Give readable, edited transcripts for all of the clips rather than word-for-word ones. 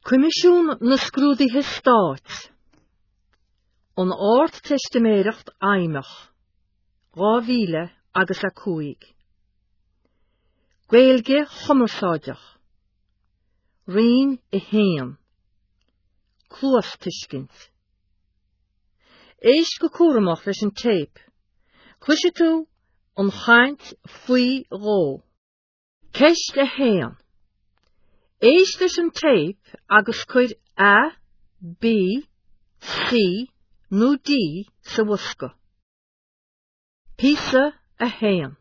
Coimisiún na Scrúduithe Stáit, An Ardteistiméireacht Fheidhmeach, 2000 agus 5. Gaeilge Chumarsáideach, Roinn 1, Cluastuiscint. Éist go cúramach leis an téip. Cloisfidh tú an chaint faoi dhó. Ceist 1. Éist leis an téip agus cuir A, B, C nó D sa bhosca. Píosa 1.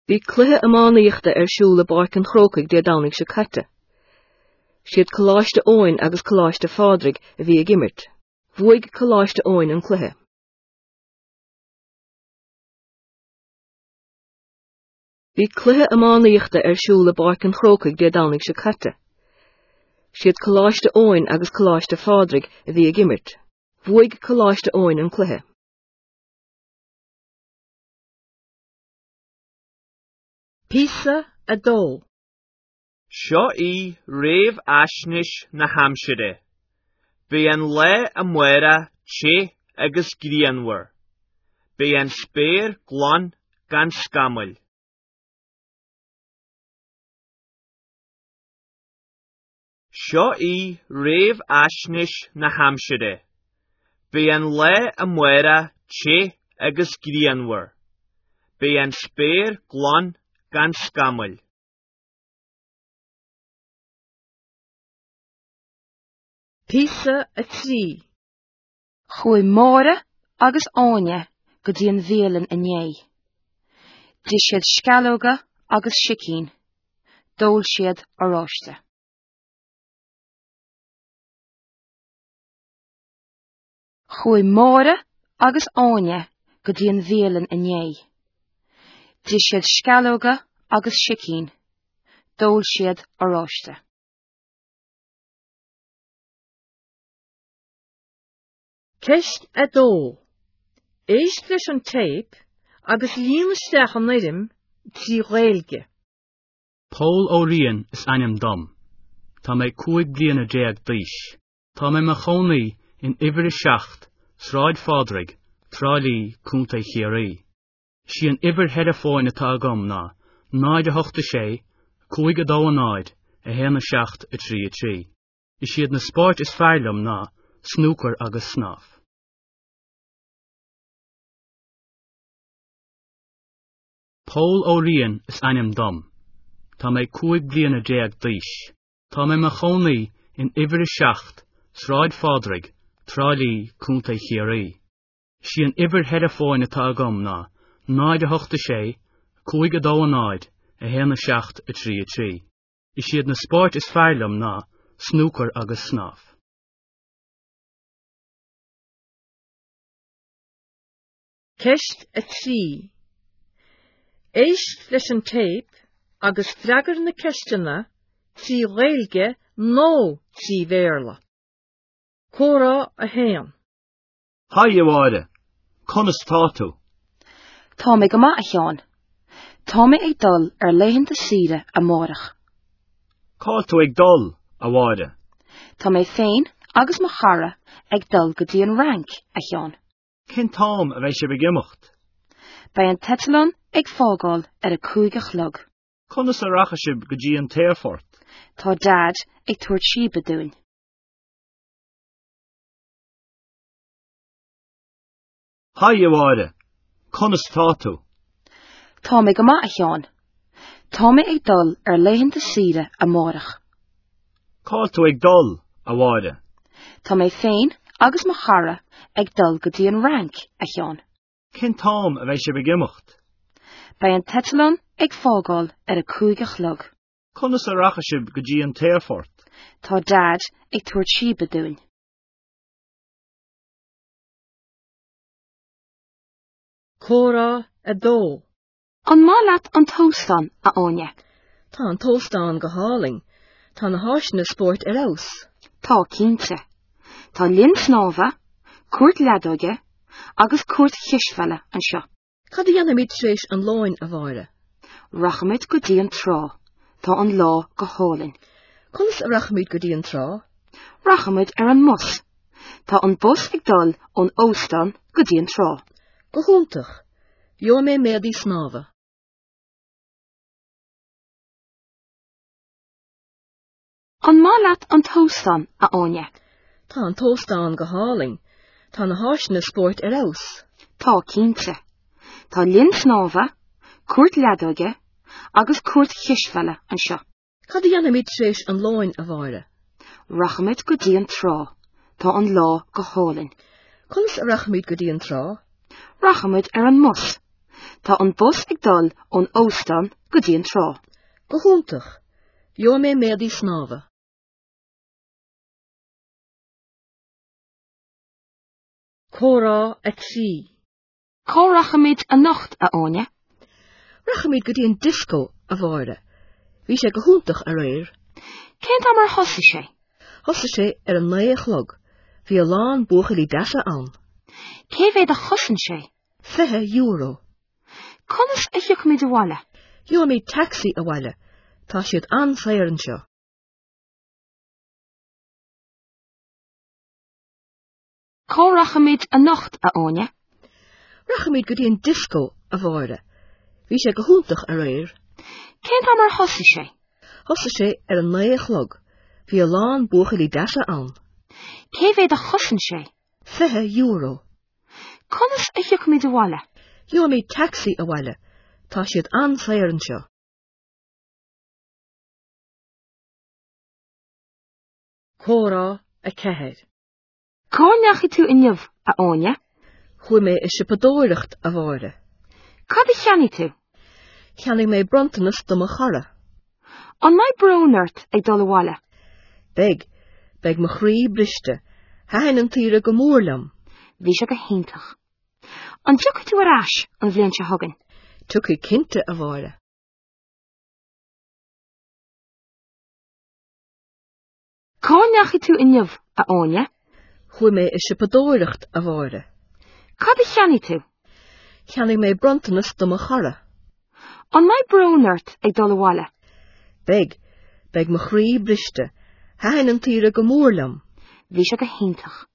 Bhí cluiche iománaíochta ar siúl i bPáirc an Chrócaigh Dé Domhnaigh seo caite. Siad Coláiste Eoin agus Coláiste Phádraig a bhí ag imirt. Bhuaigh Coláiste Eoin an cluiche. Bhí cluiche iománaíochta ar siúl i bPáirc an Chrócaigh Dé Domhnaigh seo caite. Siad Coláiste Eoin agus Coláiste Phádraig a bhí ag imirt. Bhuaigh Coláiste Eoin an cluiche. Píosa 2. Seo í réamhaisnéis na haimsire. Beidh an lá amárach te agus grianmhar. Beidh an spéir glan gan scamaill. Seo í réamhaisnéis na haimsire. Beidh an lá amárach te agus grianmhar. Beidh an spéir glan gan scamaill. Píosa 3. Chuaigh Máire agus Áine go dtí an bhialann inné. D'ith siad sceallóga agus sicín. D'ól siad oráiste. Chuaigh Máire agus Áine go dtí an bhialann inné. D'ith siad sceallóga agus sicín. D'ól siad oráiste. Ceist 2. Éist leis an téip agus líon isteach an fhoirm trí Ghaeilge. Pól Ó Riain is ainm dom. Tá mé 15 bliana d'aois. Tá mé mo chónaí in uimhir 7, Sráid Phádraig, Trá Lí, Contae Chiarraí. Sí an uimhir theileafóin atá agam ná 0 8 6 5 2 0 1 7 3 3. Is iad na spóirt is fearr liom ná snúcar agus snámh. Pól Ó Riain is ainm dom. Tá mé 15 bliana d'aois. Tá mé mo chónaí in uimhir 7, Sráid Phádraig, Trá Lí, Contae Chiarraí. Sí an uimhir theileafóin atá agam ná 0 8 6 5 2 0 1 7 3 3. Is iad na spóirt is fearr liom ná snúcar agus snámh. Ceist 3. Éist leis an téip agus freagair na ceisteanna trí Ghaeilge nó trí Bhéarla. Comhrá 1. Haigh, a Mháire. Conas tá tú? Tá mé go maith, a Sheáin. Tá mé ag dul ar laethanta saoire amárach. Cá bhfuil tú ag dul, a Mháire? Tá mé féin agus mo chara ag dul go dtí an Fhrainc, a Sheáin. Cén t-am a bheidh sibh ag imeacht? Beidh an t-eitleán ag fágáil ar a cúig a chlog. Conas a rachaidh sibh go dtí an t-aerfort? Tá Daid ag tabhairt síbe dúinn. Haigh, a Mháire. Conas tá tú? Tá mé go maith, a Sheáin. Tá mé ag dul ar laethanta saoire amárach. Cá bhfuil tú ag dul, a Mháire? Tá mé féin agus mo chara ag dul go dtí an Fhrainc, a Sheáin. Cén t-am a bheidh sibh ag imeacht? Beidh an t-eitleán ag fágáil ar a cúig a chlog. Conas a rachaidh sibh go dtí an t-aerfort? Tá Daid ag tabhairt síbe dúinn. Comhrá 2. An maith leat an t-óstán, a Áine? Tá an t-óstán go hálainn. Tá na háiseanna spóirt ar fheabhas. Tá, cinnte. Tá linn snámha, cúirt leadóige agus cúirt chispheile anseo. Cad a dhéanfaimid tar éis an lóin, a Mháire? Rachaimid go dtí an trá. Tá an lá go hálainn. Conas a rachaimid go dtí an trá? Rachaimid ar an mbus. Tá an bus ag dul ón óstán go dtí an trá. Go hiontach! Gheobhaidh mé m'éadaí snámha. An maith leat an t-óstán, a Áine? Tá an t-óstán go hálainn. Tá na háiseanna spóirt ar fheabhas. Tá, cinnte. Tá linn snámha, cúirt leadóige agus cúirt chispheile anseo. Cad a dhéanfaimid tar éis an lóin, a Mháire? Rachaimid go dtí an trá. Tá an lá go hálainn. Conas a rachaimid go dtí an trá? Rachaimid ar an mbus. Tá an bus ag dul ón óstán go dtí an trá. Go hiontach! Gheobhaidh mé m'éadaí snámha. Comhrá 3. Cá rachaimid anocht, a Áine? Rachaimid go dtí an dioscó, a Mháire. Bhí sé go hiontach aréir. Cén t-am ar thosaigh sé? Thosaigh sé ar a naoi a chlog. Bhí a lán buachaillí deasa ann. Cé mhéad a chosain sé? €20. Conas a thiocfaimid abhaile? Gheobhaimid tacsaí abhaile. Tá siad an-saor anseo. Cá rachaimid anocht, a Áine? Rachaimid go dtí an dioscó, a Mháire. Bhí sé go hiontach aréir. Cén t-am ar thosaigh sé? Thosaigh sé ar a naoi a chlog. Bhí a lán buachaillí deasa ann. Cé mhéad a chosain sé? €20. Conas a thiocfaimid abhaile? Gheobhaimid tacsaí abhaile. Tá siad an-saor anseo. Comhrá 4. Cá ndeachaigh tú inniu, a Áine? Chuaigh mé ag siopadóireacht, a Mháire. Cad a cheannaigh tú? Cheannaigh mé bronntanas do mo chara. An mbeidh brón ort ag dul abhaile? Beidh. Beidh mo chroí briste. Thaitin an tsaoire go mór liom. Bhí sé go hiontach. An dtiocfaidh tú ar ais an bhliain seo chugainn? Tiocfaidh cinnte, a Mháire. Cá ndeachaigh tú inniu, a Áine? Chuaigh mé ag siopadóireacht, a Mháire. Cad a cheannaigh tú? Cheannaigh mé bronntanas do mo chara. An mbeidh brón ort ag dul abhaile? Beidh. Beidh mo chroí briste. Thaitin an tsaoire go mór liom. Bhí sé go hiontach.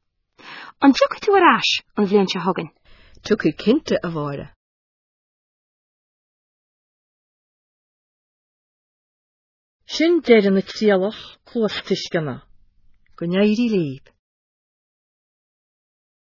An dtiocfaidh tú ar ais an bhliain seo chugainn? Tiocfaidh cinnte, a Mháire. Sin deireadh na trialach cluastuisceana. Go n-éirí libh.